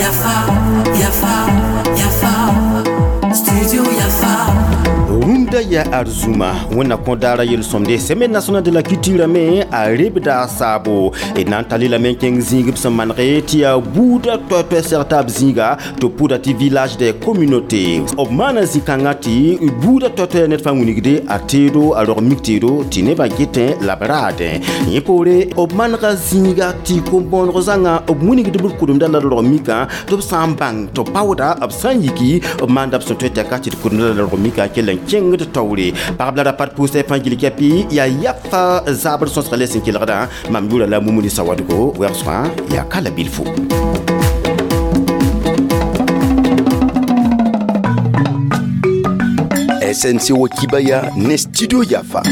Yafa, Yafa, Yafa, Studio Yafa. Rũndã yaa arzũma wẽnna kõ daara yel-sõmde Semaine nationale de la culture me a rebda saabo d na n tall lame n kẽng zĩig b sẽn manege tɩ yaa buudã toɛ-toɛ seg taab zĩiga tɩ b pʋda tɩ village des communautés. B maana zĩ-kãngã tɩ buudã toɛ-toɛ ned fãa wilgde a teedo a rog mik teedo tɩ nebã getẽ la b raadẽ. Yẽ poore b manega zĩiga tɩ kom-bõoneg zãnga b wilgd b kʋdemda la d rog mikã tɩ b sã n bãng tɩ b paooda b sã n yiki b maanda b sẽn tõe tɛka tɩ d kʋdemda la d rog mikã kell n kẽngd taoore. Pagb la ra pat pʋʋsɛ fãa gil kɛpɩ yaa yafa zaabr sõsga le sẽn kelgdã. Mam yʋʋra la Mumuni Sawadgo wɛgsgã yaa ka la bilfo. SNC Wakibaya ne Studio Yafa.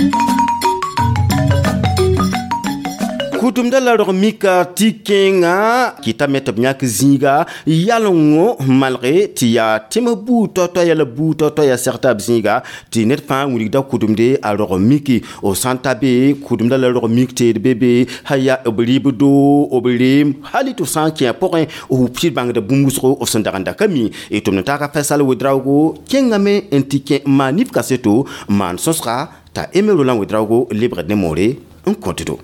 Kʋtʋmda la rog mika tɩ kẽnga kɩtame tɩ b yãk zĩiga yalengo n malge tɩ yaa tẽms buud toa-toaya la buud toa-toaya seg taab zĩiga tɩ ned fãa wilgda kʋdemde a rog miki f sã n ta be kʋdemda la rog mik teed be be sã yaa b rɩbdo b reem hali tɩ f sã n kẽ a pʋgẽ f sɩd bãngda bũmb wʋsgo f sẽn dag n da ka mi. D tʋmd n taaka Faisal Ouedraogo kẽngame n tɩ kẽ n maan nif kaseto n maan sõsga t'a Aimé Roland Ouedraogo lebgd ne moore n kõtdo.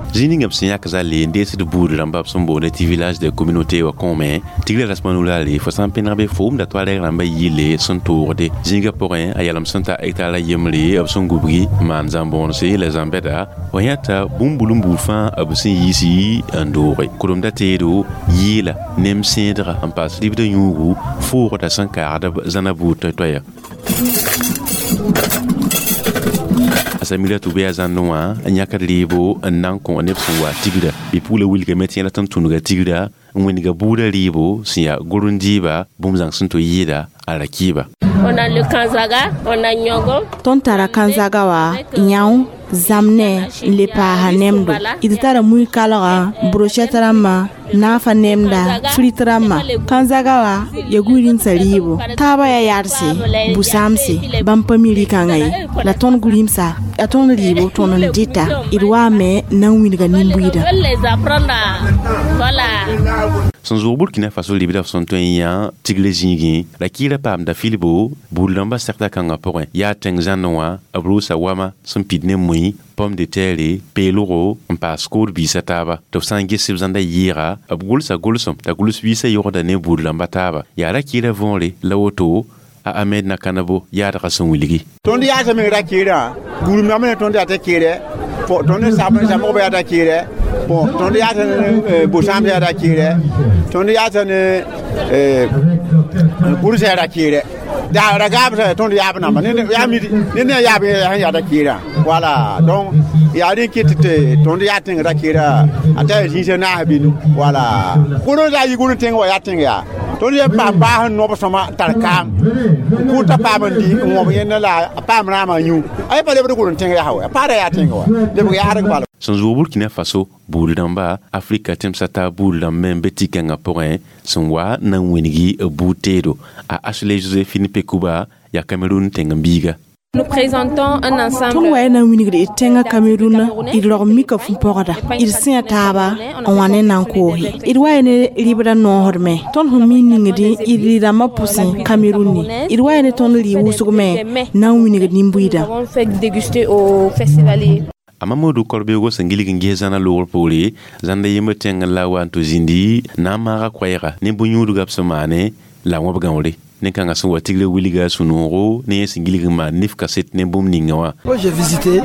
Zĩig ninga b sẽn yãk zale n deesd buud rãmba b sẽn boonde tɩ village des communautés wã kõome tigrã rasmã nulaale fo sã n pẽneg be fo wʋmda toarɛg rãmbã yɩle sẽn toogde zĩigã pʋgẽ a yalem sẽn ta hectar a yembre b sẽn gubgi n maan zãm-bõonse la zãm-bɛda wa yãta bũmb-bul n buud fãa b sẽn yiisi n dooge kʋremda teedo yɩɩla nem sẽedga n paas ribdã yũugu foogda sẽn kaagd b zãna buud toɛ-toɛya. Samira tɩ bɩ a zãnd wã n yãkd rɩɩbo n na n kõ neb sẽn wa tigra bɩ-pugla wilgame tɩ yẽla tɩ n tũnuga tigra n wĩnga buudã rɩɩbo sẽn yaa gʋrẽn-dɩɩba bũmb zãng sẽn tɩ yɩɩda a ra kɩɩba. On a le Kanzaga, on a Nyogo. Tõnd tara Kanzaga wa, yão, zamnɛ n le paasa nemdo. D tara mui kalga, brochette rãmbã, naafa nemda, frit rãmbã. Kanzaga wa ya gũud-rĩmsã rɩɩbo. Taabã yaa yadse, bu-sãamse, bãmb pa mi rɩ-kãngã ye. La tõnd gũ-rĩmsa, a tõnd rɩɩbo tõnd n dɩta. D waame n na n wilga nin-buiidã. Les apprendre à, voilà. Sẽn zʋg Burkina Faso libda f sẽn tõe n yã tigle zĩigẽ la kɩɩra paamda filbo buud rãmbã segda kãngã pʋgẽ yaa tẽng zãnẽ wã b roosa wama sẽn pid ne mui pomme de terre peelgo n paas kood biisã taaba tɩ b sã n ges b zãnda yɩɩga b gʋlsa gʋlsem t'a gʋls biisã yogda ne buud rãmbã taaba yaa ra kɩɩra võore la woto a Ahmed Nakanabo yaadgã sẽn wilgi. Tõnd yaasã meng ra kɩɩrã gũudmame ne tõnd yaa t'a kɩɩrɛ tõnd samgba yaa t'a kɩɩrɛ bon tõnd yaasã ne bu-sãamsã yaa t'a kɩɩrɛ tõnd yaasã ne gʋrsã yaa ra kɩɩrɛ da ra gaabsã tõnd yaab namba ne ne yaab sẽn yaa t'a kɩɩrã wala donc yaa rẽ kɩt tɩ tõnd yaa tẽng ra kɩɩrã a ta zĩisã naas binu wala gʋrẽ la a yi gʋrẽ tẽng wa yaa tẽng yaa tõnd yẽ paam baas n nob sõma n tar kaam n kʋʋta paam n dɩ n wõb yẽnda la a paam rãamã yũ a yẽ pa lebd gʋrẽ tẽng yaa wa a paada yaa tẽng wa lebg yaadg bala. Sẽn zʋg Burkina Faso buud rãmba Afrika tẽmsã taab buud rãmb me n be tɩ-kãngã pʋgẽ sẽn wa n na n wĩngi b buud teedo a Ashley Josephine Pekuba yaa Cameroun tẽng-n-biiga. Nous présentons un ensemble. Tõnd wa na n wilgd d tẽngã Cameroun d rog mika fu-pɔgda d sẽa taaba n wa ne nan koose d wa ne rɩbdã noosd me tõnd sẽn mi ningdẽ d rɩ-rãmbã pʋsẽ Cameroun ne d wa ne tõnd rɩ wʋsg me na n wilgd nin-buiidã. Nous avons fait déguster au festivalier. A Mamadou Korbego sẽn gilg n ges zãna loogr poore zãnda yembr tẽng la wa n tɩ zĩndi na n maaga koɛɛga ne bõn-yũudgã b sẽn maane la wãb gãoore ne kãngã sẽn wa tigrã wilga sũ-noogo ne yẽ sẽn gilg n maan nif kaset ne bũmb ninga wã. Moi, j'ai visité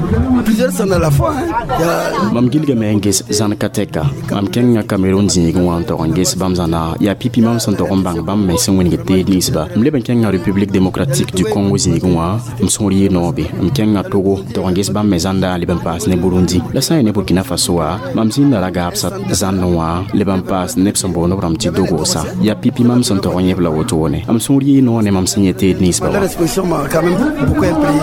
plusieurs zones à la fois. Hein. Il y a Mam gilgame n ges zãn ka tɛka mam kẽnga Cameroun zĩigẽ wã n tog n ges bãmb zãna yaa pipi mam sẽn tog n bãng bãmb me sẽn wĩneg teed ninsba m leb n kẽnga République démocratique du Congo zĩigẽ wã m sõor yɩ noobe m kẽnga Togo n tog n ges bãmb me zãnda leb n paas ne Burundi la sã n yaa ne Burkina Faso wã mam zĩnda ra gaabsã zãnd wã leb n paas neb sẽn boond b rãmb tɩ Dogosa yaa pipi mam sẽn tog n yẽb la wotone m sõor yɩ noor ne mam sẽn yẽ teed ninsba wã. Leur exposition m'a quand même beaucoup imprégné.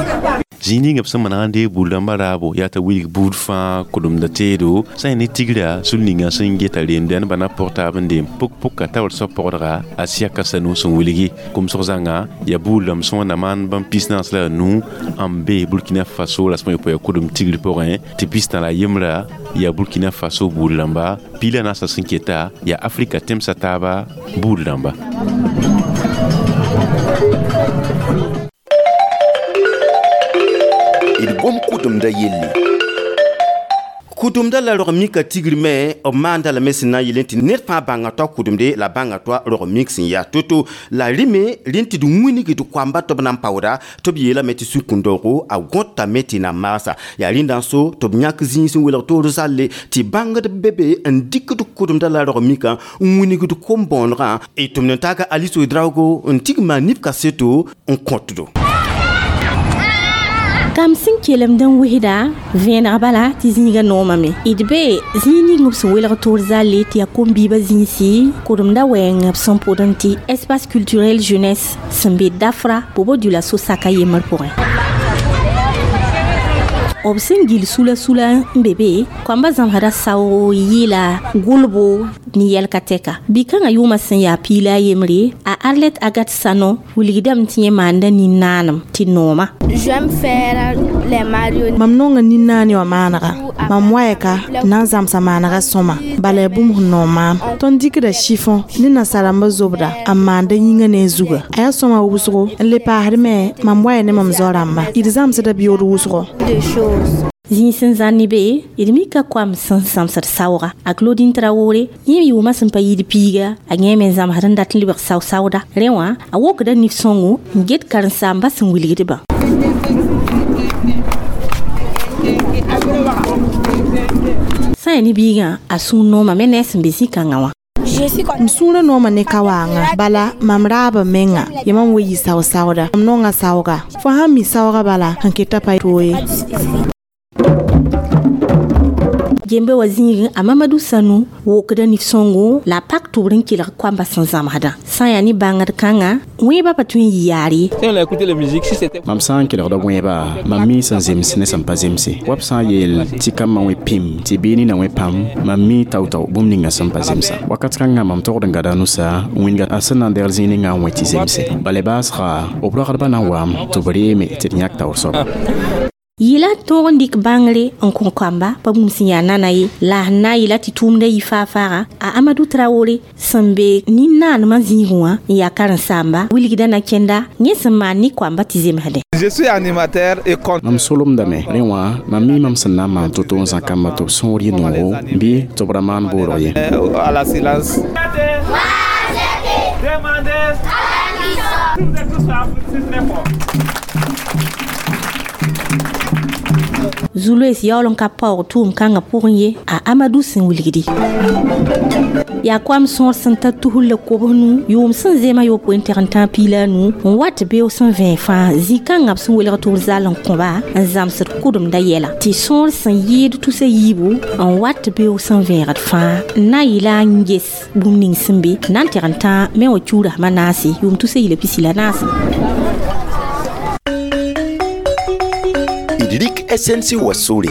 Zĩig ninga b sẽn maneg n deeg buud rãmbã raabo yaa t'a wilg buud fãa kʋdemda teedo sã n ne tigra sul ninga sẽn geta reemda nebã na pʋg taab n deem pʋk-pʋka taoor soab pɔgdga a siaka sanu sẽn wilgi komsg zãnga yaa buud rãmb sẽn wãnna maan bãmb 45 n be Burkina Faso rasem a yopoe kʋdem tigr pʋgẽ tɩ pistã la yembra yaa Burkina Faso buud rãmba piila naasã sẽn keta yaa Afrika tẽmsã taaba buud rãmba. D gom kʋdemda yelle. Kʋdemda la rog mika tigr me b maanda lame sẽn na n yel tɩ ned fãa bãnga toa kʋdemde la bãnga toa rog mik sẽn yaa to-to la rɩme rẽnd tɩ d wingd koamba tɩ b na n paooda tɩ b yeelame tɩ sũ-kũndoogo a gõtame tɩ na maasa yaa rẽnda n so tɩ b yãk zĩig sẽn welg toor zalle tɩ bãngd be be n dɩkd kʋdemda la rog mikã n wingd kom-bõonegã y tʋmd n taaka Alice Ouedraogo n tigma maan nif kaseto n kõtdo. Kam sẽn kelemd n wesda vẽeneg bala tɩ zĩigã noomame d be zĩig ning b sẽn welg toor zalle tɩ yaa kom-biibã zĩisi kʋdemda wɛɛng b sẽn pʋdẽ tɩ espace culturel jeunesse sẽn be Dafra Bobo Dioulasso saka yembr pʋgẽ. B sẽn gil sula sula n be be koamba zãmsda saoogo yɩɩla gʋlbo ne yɛlka tɛka bi-kãngã yʋʋmã sẽn yaa piila a yembre a Arlette Agathe Sano wilgdame tɩ yẽ maanda nin-naanem tɩ nooma. Mam nonga nin-naane wã maanega mam waɛka na n zãmsa maanega sõma bala yaa bũmb sẽn noog maam tõnd dɩkda chiffon ne nasarãmbã zobda n maanda yĩngã ne a zuga a yaa sõma wʋsgo n le paasd me mam waya ne mam zao-rãmba d zãmsda beood wʋsgo. Zĩig sẽn zãn ne be d mika koam sẽn zãmsd saooga a Claudine Traoré yẽ yʋʋmã sẽn pa yɩɩd piiga a yẽ me zãmsd n dat n lebg sao-saooda rẽ wã a wokda nif-sõngo n get karen-saambã sẽn wilgdbã. Sã yaa ne biigã a sũur nooma me ne a sẽn be zĩ-kãngã wã. M sũurã nooma ne ka-waangã bala mam raaba menga yaa mam wa yɩ sao-saooda mam nonga saooga fo sãn mi saooga bala sẽn keta pa toog ye. Gembe wa zĩigẽ a Mamadou Sanou wokda nif-sõngo la a pak tʋbr n kelg koambã sẽn zãmsdã sã n yaa ne bãngd kãngã wẽebã pa tõe n yɩ yaar ye. Mam sã n kelgda wẽeba mam mi sẽn zems ne sẽn pa zemse wa b sã n yeel tɩ kambã wẽ pĩm tɩ bɩ nina wẽ pãm mam mi tao-tao bũmb ninga sẽn pa zemsa wakat kãngã mam togd n gada nusa wĩnga a sẽn na n degl zĩig ninga n wẽ tɩ zemse bala baasga b ragdbã na n waam tɩ b reeme tɩ d yãk taoor soaba. Yɩla tõog n dɩk bãngre n kõ koamba pa bũmb sẽn yaa nana ye la sẽn na n yɩla tɩ tʋʋmda yɩ faa-faaga a Amadou Traoré sẽn be nin-naanema zĩigẽ wã n yaa karen-saamba wilgda na kẽnda yẽ sẽn maan ne koamba tɩ zemsdẽ. Je suis animateur et conteur. Mam solemdame rẽ wã mam mi mam sẽn na n maan to-to n zã kambã tɩ b sõor yɩ noogo bɩ tɩ b ra maan boorg ye. À la silence. Zuloes yaool n ka paoog tʋʋm kãngã pʋgẽ ye a Amadou sẽn wilgdi yaa koam sõor sẽn ta tusr la kobs nu yʋʋm sẽn zema yopoe n teg n tãag piila a nu n wat beoog sẽn vẽeg fãa zĩ-kãngã b sẽn welg tʋʋr zal n kõba n zãmsd kʋdemda yɛla tɩ sõor sẽn yɩɩd tusa yiibu n wat beoog sẽn vẽegd fãa n na n yɩla n ges bũmb ning sẽn be na n teg n tãag me wã kiuurasmã naase yʋʋm tusa yila pisi la naase. D rɩk SNC wa sore.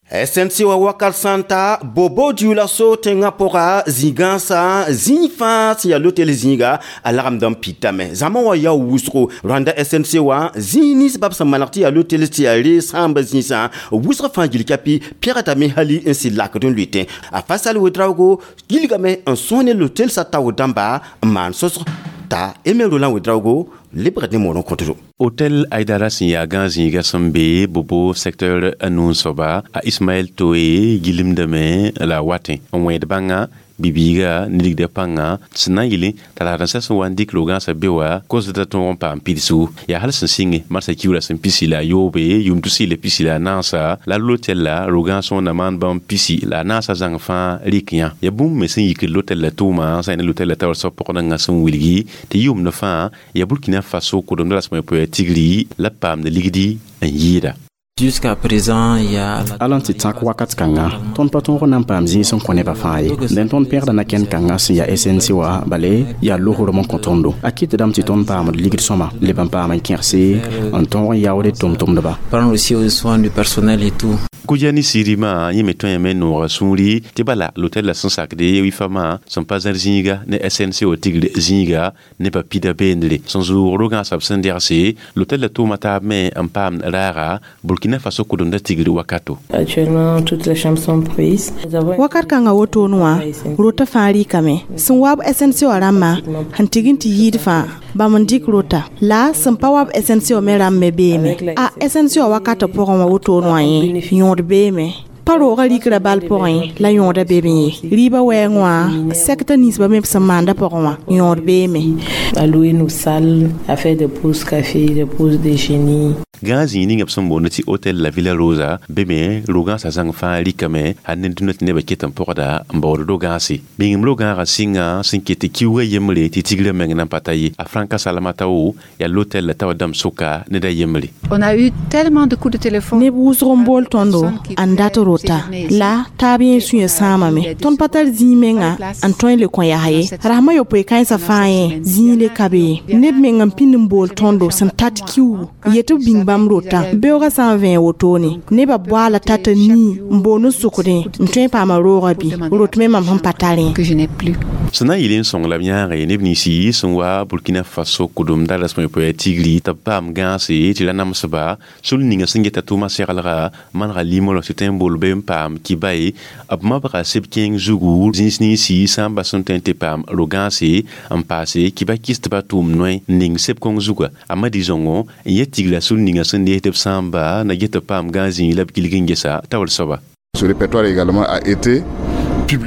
SNC wa wakat sã n ta Bobo Dioulasso tẽngã pʋga zĩ-gãasã zĩig fãa sẽn yaa lotel zĩiga a lagemd n pɩtame zãma wã yaa wʋsgo rãnda SNC wã zĩig nins bab sẽn maneg tɩ yaa lotel tɩ yaa reeg sãambã zĩisã wʋsg fãa gil kapi pɛgdame hali n sɩd lakd n lʋɩtẽ a Fasal Ouedraogo gilgame n sõs ne lotel sa taoor dãmba n maan sõsg t'a Aimé Roland Ouedraogo lebgd ne moor n kõtdo. Hôtel Aïdara sẽn yaa gã zĩiga sẽn be Bobo secteur a nu n soaba a Ismaël Toé gilmdame la a watẽ n wẽed bãnga bibiiga ne ligda pãnga sẽn na n yɩlẽ t'a la sẽn wa n dɩk rogãasã be wa kosdã tõog n paam pidsgu yaa hal sẽn sɩnge marsã kiuurã sẽn pisi la a yoobe yʋʋm tus la pisi la a naasa la lotel la rogãas wẽnna maan bãmb pisi la a naasã zãng fãa rɩk yã yaa bũmb me sẽn yikd lotel la tʋʋma sã ne lotel la taoor soab pʋgdãngã sẽn wilgi tɩ yʋʋmd fãa yaa Burkina Faso kʋdemda rasem a yopoe tigri la paamd ligdi n yɩɩda. Jusqu'à présent, il y a Ala n tɩ tãk wakat kãnga tõnd pa tõog n na n paam zĩig sẽn kõ nebã fãa ye. Dẽn tõnd pẽgda na-kẽnd kãngã sẽn yaa SNC wã, bale yaa losrem n kõ tõndo. A kɩtdame tɩ tõnd paamd ligd sõma, leb n paam n kẽgse n tõog n yaood d tʋm-tʋmdba. Prendre aussi au soin du personnel et tout. Kujani sirima yẽ me tõe me nooga sũuri tɩ bala l'hôtel la sẽn sakde wifamã sẽn pa zãr zĩiga ne SNC wa tigr zĩiga ne pa pida beendre sẽn zʋʋg rogãasã b sẽn degse l'hôtel la tʋʋma taab me n paam raaga Burkina Faso kʋdemda tigr wakato. Actuellement, toutes les chambres sont prises. Wakat kãngã wotone wã, rota fãa rɩkame. Sẽn wa b SNC wã rãmbã sẽn tign tɩ yɩɩd fãa, bãmb n dɩk rota la sẽn pa wa b SNC wã me rãmb me beeme. A SNC wã wakatã pʋgẽ wã wotone wã yẽ yõod beeme. Pa roogã rikra bal pʋgẽ la yõoda be be ye. Rɩɩbã wɛɛng wã, sɛkta ninsbã me b sẽn maanda pʋgẽ wã, yõod beeme. À louer nos salles, à faire des pauses café, des pauses déjeuner. Gã zĩig ninga b sẽn boond tɩ hôtel La Villa Rosa be me ro-gãasã zãng fãa rikame hal ne dũnna tɩ nebã ket n pɔgda n baood ro-gãase. Bĩngem ro-gãagã sɩnga sẽn ket tɩ kiuugã yembre tɩ tigrã meng na n pa ta ye. A Franka Salamata wo yaa l'hôtel la tawa dãmb sʋka ned a yembre. On a eu tellement de coups de téléphone. Neb wʋsg n bool tõndo n dat rota la taab yẽ sũyã sãamame. Tõnd pa tar zĩig menga n tõe n le kõ yaa ye. Rasmã yopoe kãensã fãa yẽ zĩig le ka be ye. Neb meng n pĩnd n bool tõndo sẽn tat kiuugu yetɩ b bĩng bãmb rotã. Beoogã sã n vẽe wotone, nebã boaala tata nii n boond n sʋkdẽ n tõe n paama roogã bɩ rot me mam sẽn pa tarẽ. Que je n'ai plus. Sẽn na n yɩl n sõng la b yãage neb ninsi sẽn wa Burkina Faso kʋdemda rasem yopoe tigri tɩ b paam gãase tɩ ra namsba sul ninga sẽn geta tʋʋmã seglga manega limolg tɩ tõe n bool be n paam kibay b mabga seb kẽeng zugu zĩis ninsi sã n bas sẽn tõe n tɩ paam ro-gãase n paase kiba kɩs tɩ ba tʋʋm noe n ning seb kõng zuga. A Madi Zongo n yet tigra sul ninga sẽn nees tɩ b sãamba na get tɩ b paam gãag zĩig la b gilg n gesa taoor soaba. Ce répertoire également a été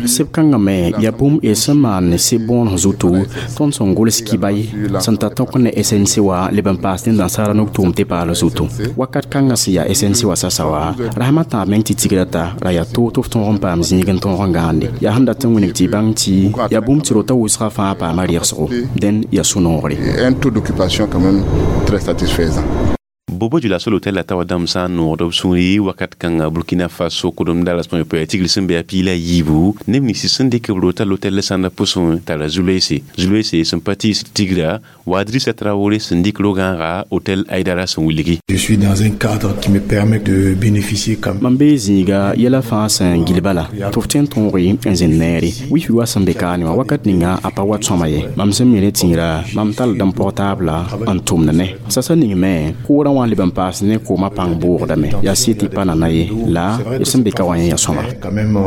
Seb kãngã me yaa bũmb y sẽn maan ne seb bõonesg zutu tõnd sẽn gʋls kibay sẽn ta tõk ne SNC wã leb n paas ne dãnsaara nuk tʋʋm tɩ paal zutu. Wakat kãngã sẽn yaa SNC wã sasa wã, rasmã tãab meng tɩ tigra ta ra yaa toog tɩ f tõog n paam zĩig n tõog n gãande. Yaa sẽn dat n wilg tɩ y bãng tɩ yaa bũmb tɩ rota wʋsgã fãa paama rɩgsgo. Dẽn yaa sũ-noogre. Un taux d'occupation quand même très satisfaisant. Bobo Dioulasso l'hôtel la tawa dãmb sã n noogd b sũuri wakat kãnga Burkina Faso kʋdemda rasem yopoe tigr sẽn be a piila yiibu neb nins sẽn dɩk b rota l'hôtel la sãnda pʋsẽ tara Zuloese. Zuloese sẽn pa tiis tigra wa Drissa Traoré sẽn dɩk ro-gãaga hôtel Aïdara sẽn wilgi. Je suis dans un cadre qui me permet de bénéficier quand même. Mam bee zĩiga yɛla fãa sẽn gil bala tɩ f tõe n tõoge n zẽnd neere. Wifi wa sẽn be kaane wã wakat ninga a pa wa sõma ye. Mam sẽn mi ne tĩirã mam tall d n pɔg taabla n tʋmd ne. Sasa ning me koorã wã leb n paas ne koomã pãng boogdame. Yaa sɩ tɩ pa nana ye la y sẽn be ka wã yẽ yaa sõma. Quand même,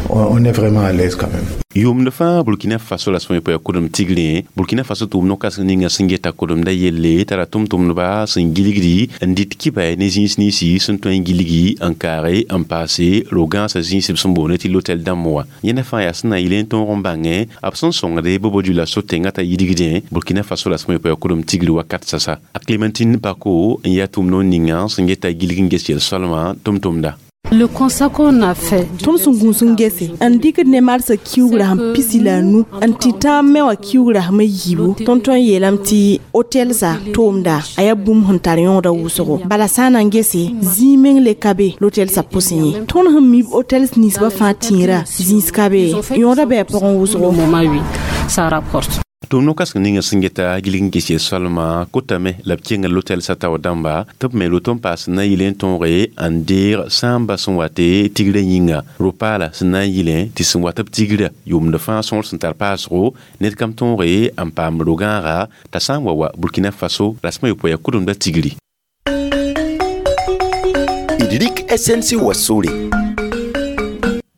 on est vraiment à l'aise quand même. Yʋʋmd fãa Burkina Faso rasem yopoe kʋdem tigrẽ Burkina Faso tʋʋm no-kãseng ninga sẽn geta kʋdemda yelle tara tʋm-tʋmdba sẽn gilgdi n dɩt kibay ne zĩis ninsi sẽn tõe n gilgi n kaage n paase ro-gãasã zĩis b sẽn boond tɩ l'hôtel dãmb wã. Yẽnda fãa yaa sẽn na yɩl n tõog n bãngẽ b sẽn sõngde Bobo Dioulasso tẽngã t'a yidgdẽ Burkina Faso rasem yopoe kʋdem tigr wakat sasa. A Clémentine Bako n yaa tʋʋm no ninga sẽn geta gilg n ges yel-soalmã tʋm-tʋmda. Le constat qu'on a fait. Tõnd sẽn gũus n gese n dɩkd ne marsã kiugrã sẽn pisi la a nu n tɩ tãab me wã kiugrã sẽm yiibu. Tõnd tõe n yeelame tɩ hôtelsã tʋʋmda a yaa bũmb sẽn tar yõoda wʋsgo. Bala sã n na n gese zĩig meng le ka be l'hôtelsã pʋsẽ ye. Tõnd sẽn mi hôtels ninsbã fãa tĩirã zĩis ka be yõoda bɩ a pʋgẽ wʋsgo. Ça rapporte. Tʋʋm no-kãseng ninga sẽn geta gilg n ges yel-soalmã kotame la b kẽnga l'hôtel sa tao dãmba tɩ b me rot n paas na n yɩl n tõoge n deeg sãamba sẽn wa tɩ tigrã yĩnga ro-paala sẽn na n yɩlẽ tɩ sẽn wa tɩ b tigra yʋʋmd fãa sõor sẽn tar paasgo ned kam tõoge n paam ro-gãaga t'a sã n wa wa Burkina Faso rasmã yopoe yaa kʋdemda tigri. D rɩk SNC wa sore.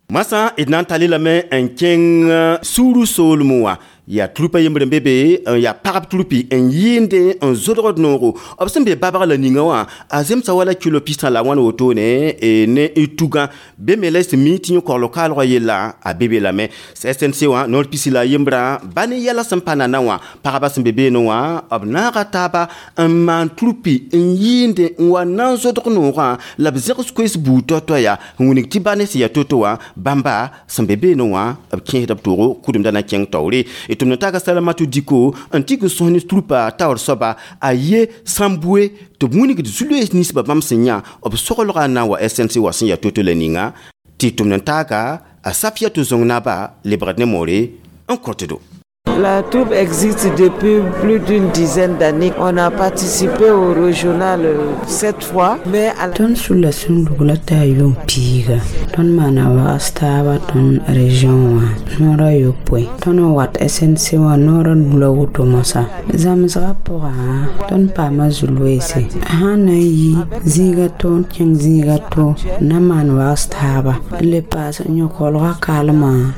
Masã d na n tall lame n kẽng sũurã soolmẽ wã. Yaa trupa yembr n be be n yaa pagb trupi n yɩɩnde n zodgd noogo b sẽn be babg la ninga wã a zemsa wala kilo pistã la wãn wotone ne y tugã be me la sẽn mi tɩ yẽ kogl kaalgã yella a be be lame. SNC wã noor pisi la yembrã ba ne yɛla sẽn pa nana wã pagba sẽn be beene wã b naaga taaba n maan trupi n yɩɩnde n wa na n zodg noogã la b zẽgs koees buud tao-tao yaa n wilg tɩ ba ne sẽn yaa to-to wã bãmba sẽn be beene wã b kẽesda b toogo kʋdemda na kẽng taoore. Tɩ m na taga Salamatu Diko n tɩk n sõs ne trupa taoor soaba a ye sãmbue tɩ b wilgd zu-loees ninsbã bãmb sẽn yã b soglgã na n wa SNC wa sẽn yaa to-to la ninga tɩ tʋm n taaga a Safiatou Zong naba lebgd ne moore n kõtdo. La troupe existe depuis plus d'une dizaine d'années. On a participé au régional sept fois, mais à la... Tõnd sulla sũndugla t'a yʋʋm piiga. Tõnd maana wags taaba tõnd région wã noora yopoe. Tõnd n wat SNC wã noora nu la woto moasã. Zãmsgã pʋgã tõnd paama zu-loeese. Sãn na n yi zĩiga to n kẽng zĩiga to n na maan wags taaba. N le paas n yõ kolgã kalmã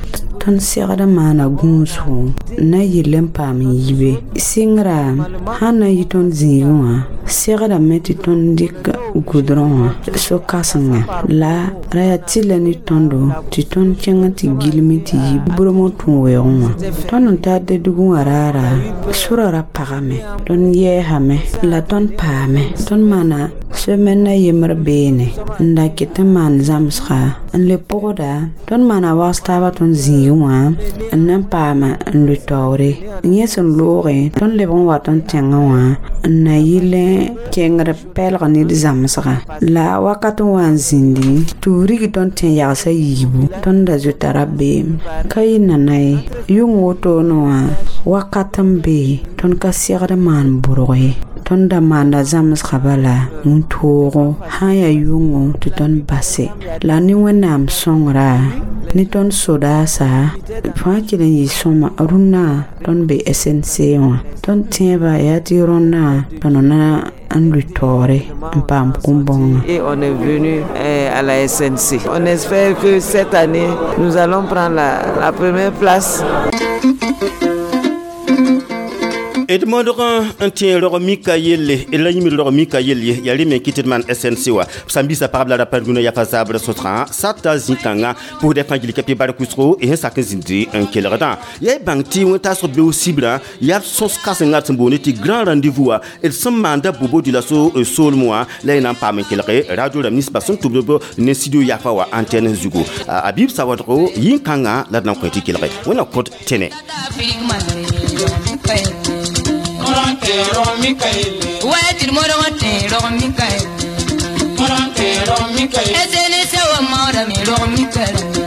tõnd segd n maana gũusgo n na yɩl n paam n yibe. Sɩngra sãn na n yɩ tõnd zĩigẽ wã segdame tɩ tõnd dɩk gʋdrõ wã so-kãsenga la ra yaa tɩlla ne tõndo tɩ tõnd kẽng tɩ gilme tɩ yi bromg tũ-weoogẽ wã. Tõnd n tar Dedugũ wã raara sʋra ra pagame tõnd yɛɛsame la tõnd paame. Tõnd maana semaine a yembr beene n da ket n maan zãmsga n le pʋgda tõnd maana wags taaba tõnd zĩigẽ wã n na n paama n lʋ taoore. Yẽ sẽn loogẽ tõnd lebg n wat n tẽngẽ wã n na yɩl kẽngd pɛlg ne d zãmsga la wakat n wa n zĩndi tɩ b rig tõnd tẽ yagsã yiibu tõnd da zoeta rabeem ka yɩ nana ye yʋng wotone wã wakat n be tõnd ka segd maan bʋrg ye. Tõnd da maanda zãmsga bala wĩntoogo sã n yaa yʋngo tɩ tõnd base la ne Wẽnnaam sõngra ne tõnd sodaasa fãa kell n yɩ sõma rũnnã tõnd be SNC wã tõnd tẽebã yaa tɩ rõnnã tõnd na n lʋ taoore n paam kũm-bõngã. Et on est venu à la SNC. On espère que cette année, nous allons prendre la première place. D modg n tẽ rog mika yelle la yĩmd rog mika yelle yaa rẽ me kɩ tɩ d maan SNC wa sãn-biisã pagb la rapa rũnã yafa zabrã sõsgã sata zĩ-kãngã pʋsdɛ fãa gil ka pɩ bark wʋsgo y sẽn sak n zĩndi n kelgdã yaa y bãng tɩ wẽn-taasg beoog sibrã yaa b sõs kãsengã d sẽn boonde tɩ grand rendez-vous wã d sẽn maanda bobo diola soolem wã la y na n paam n kelge radio rãmb ninsbã sẽn tʋbd b ne studio yafa wã antenne zugu a bɩ b sawadgo yĩn-kãngã la d na n kõ tɩ kelge wẽnna kõt tẽne. Mikael.